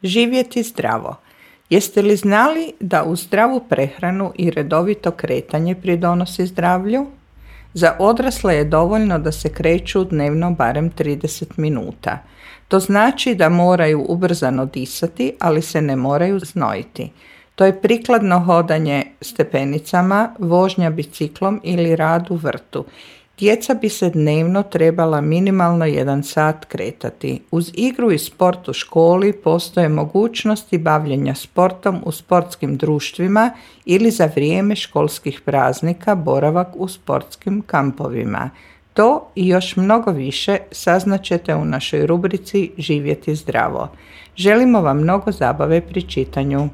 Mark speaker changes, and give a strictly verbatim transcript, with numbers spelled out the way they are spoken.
Speaker 1: Živjeti zdravo. Jeste li znali da uz zdravu prehranu i redovito kretanje pridonosi zdravlju? Za odrasle je dovoljno da se kreću dnevno barem trideset minuta. To znači da moraju ubrzano disati, ali se ne moraju znojiti. To je prikladno hodanje stepenicama, vožnja biciklom ili rad u vrtu. Djeca bi se dnevno trebala minimalno jedan sat kretati. Uz igru i sport u školi postoje mogućnosti bavljenja sportom u sportskim društvima ili za vrijeme školskih praznika boravak u sportskim kampovima. To i još mnogo više saznaćete u našoj rubrici Živjeti zdravo. Želimo vam mnogo zabave pri čitanju.